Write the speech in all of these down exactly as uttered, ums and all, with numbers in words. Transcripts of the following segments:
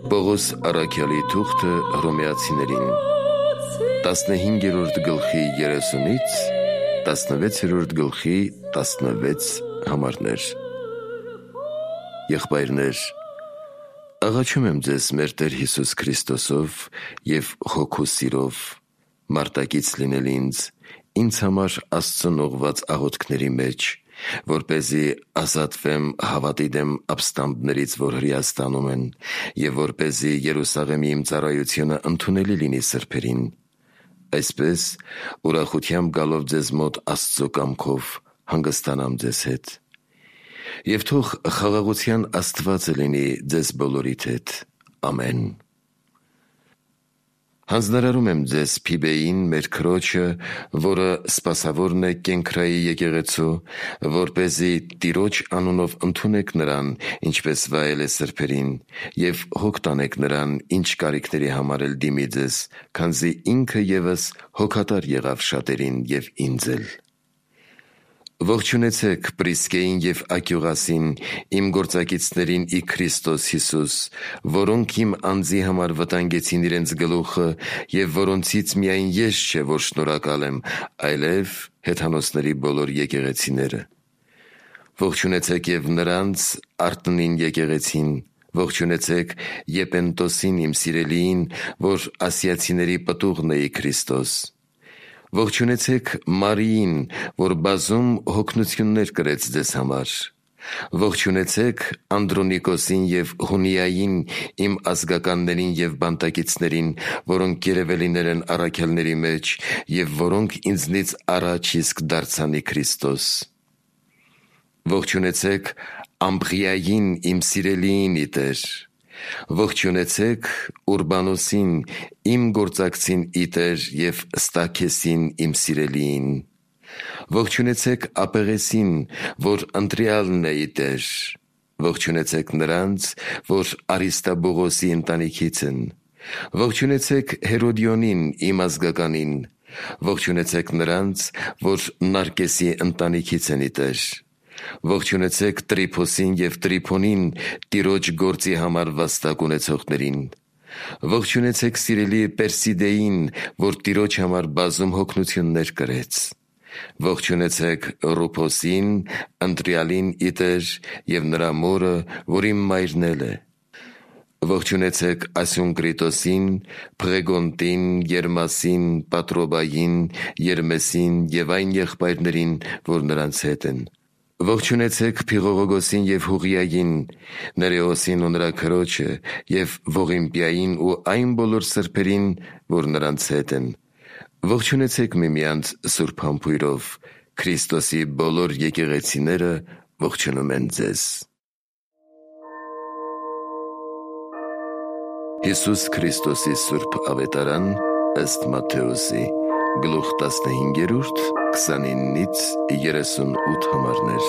Պողոս առաքյալի թուղթը հռոմեացիներին տասնհինգերորդ գլխի երեսունից տասնվեցերորդ գլխի տասնվեց համարներ։ Եղբայրներ, աղաչում եմ ձեզ մեր Տեր Հիսուս Քրիստոսով և հոգու սիրով մարտակից լինել ինձ, ինձ համար Աստծուն ուղղված աղոթքների մեջ, որպեսզի ազատվեմ հավատի դեմ ապստամբներից, որ հրեաստանում են, և որպեսզի Երուսաղեմի իմ ծառայությունը ընդունելի լինի սրբերին, այսպես ուրախությամբ գալով ձեզ մոտ Աստծո կամքով հանգստանամ ձեզ հետ։ Եվ թող խաղաղության Աստվածը լինի ձեզ բոլորիդ հետ։ Ամեն։ Հանձնարարում եմ ձեզ Փիբեին, մեր քրոջը, որը սպասավորն է Կենքրայի եկեղեցու, որպեսզի Տիրոջ անունով ընդունեք նրան, ինչպես վայել է սրբերին, և հոգ տանեք նրան, ինչ կարիքների համար էլ դիմի ձեզ, քանզի ինքը ևս հոգատար եղավ շատերին և ինձ էլ։ Ողջունեցեք Պրիսկեին և Ակյուղասին, իմ գործակիցներին ի Քրիստոս Հիսուս, որոնք իմ անձի համար վտանգեցին իրենց գլուխը, և որոնցից միայն ես չէ, որ շնորհակալ եմ, այլև հեթանոսների բոլոր եկեղեցիները։ Ողջունեցեք և նրանց Արտնին եկեղեցին, ողջունեցեք Եպենտոսին իմ սիրելիին, որ ասիացիների պտուղն է ի Քրիստոս։ Ողջունեցեք Մարիին, որ բազում հոգնություններ կրեց ձեզ համար։ Ողջունեցեք Անդրոնիկոսին և Հունիային, իմ ազգականներին և բանտակիցներին, որոնք երևելիներ են առաքյալների մեջ և որոնք ինձնից առաջ իսկ դարձան ի Քրիստոս։ Ողջունեցեք Ամփրիային, իմ սիրելիին ի Տեր։ Ողջունեցեք Ուրբանոսին, իմ գործակցին ի Տեր և Ստաքեսին, իմ սիրելիին։ Ողջունեցեք Ապեղեսին, որ ընտրյալն է ի Տեր։ Ողջունեցեք նրանց, որ Արիստաբուղոսի ընտանիքից են։ Ողջունեցեք Հերոդիոնին, իմ ազգականին։ Ողջունեցեք նրանց, որ Նարկեսի ընտանիքից են ի Տեր։ Ողջունեցեք Տրիփոսին և Տրիփոնին, Տիրոջ գործի համար վաստակ ունեցողներին։ Ողջունեցեք սիրելի Պերսիդեին, որ Տիրոջ համար բազում հոգնություններ կրեց։ Ողջունեցեք Ռուփոսին, ընտրյալին ի Տեր, և նրա մորը, որ իմ մայրն էլ է։ Ողջունեցեք Ասյունկրիտոսին, Փղեգոնտին, Երմասին, Պատրոբային, Երմեսին և այն եղբայրներին, որ նրանց հետ են։ Ողջունեցեք Փիղողոգոսին և Հուղիային, Ներեոսին ու նրա քրոջը, և Ողիմպիային ու այն բոլոր սրբերին, որ նրանց հետ են։ Ողջունեցեք միմյանց սուրբ համբույրով։ Քրիստոսի բոլոր եկեղեցիները ողջունում են ձեզ։ Հիսուս Քրիստոսի սուրբ ավետարան ըստ Մատթեոսի, գլուխ տասնհինգերորդ, քսանինից երեսունութ համարներ։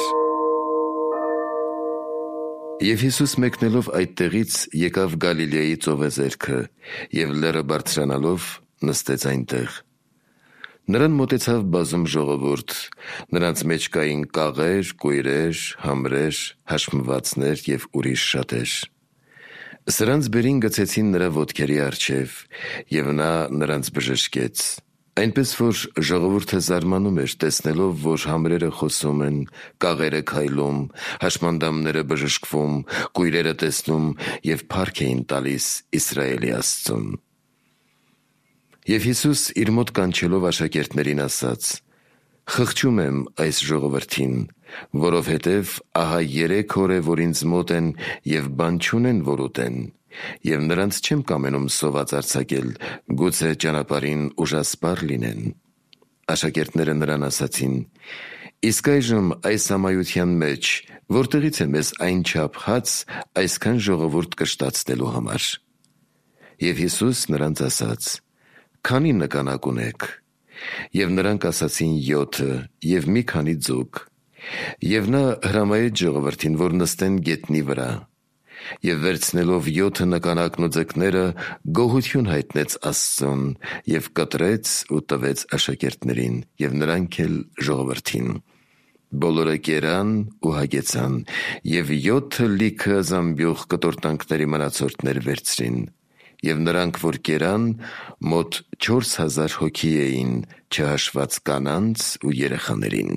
Եվ Հիսուս մեկնելով այդտեղից եկավ Գալիլեայի ծովեզերքը, և լեռը բարձրանալով նստեց այնտեղ։ Նրան մոտեցավ բազում ժողովուրդ, նրանց մեջ կային կաղեր, կույրեր, համրեր, հաշմվածներ և ուրիշ շատեր։ Սրանց բերին գցեցին նրա ոտքերի առջև, և նա նրանց բժշկեց, այնպես որ ժողովուրդը զարմանում էր, տեսնելով, որ համրերը խոսում են, կաղերը քայլում, հաշմանդամները բժշկվում, կույրերը տեսնում և փառք էին տալիս Իսրայելի Աստծուն։ Եվ Հիսուս իր մոտ կանչելով աշակերտներին ասաց. «Խղճում եմ այս ժողովրդին, որովհետև ահա երեք օր է, որ ինձ մոտ են և բան չունեն, որ ուտեն, և նրանց չեմ կամենում սոված արձակել, գուցե ճանապարհին ուժասպառ լինեն»։ Աշակերտները նրան ասացին. «Իսկ այժմ այս ամայության մեջ որտեղից է մեզ այնչափ հաց այսքան ժողովուրդ կշտացնելու համար»։ Եվ Հիսուս նրանց ասաց. «Քանի՞ նկանակ ունեք»։ Եվ նրանք ասացին յոթը և մի քանի ձուկ։ Եվ նա հրամայեց ժողովրդին, որ նստեն գետնի վրա։ Եվ վերցնելով յոթը նկանակն ու ձկները, գոհություն հայտնեց Աստծուն և կտրեց ու տվեց աշակերտներին, և նրանք էլ ժողովրդին։ Բոլորը կերան ու հագեցան, և յոթը լիքը զամբյուղ կտորտանքների մնացորդներ վերցրին, և նրանք, որ կերան, մոտ չորս հազար հոգի էին, չհաշված կանանց ու երեխաներին։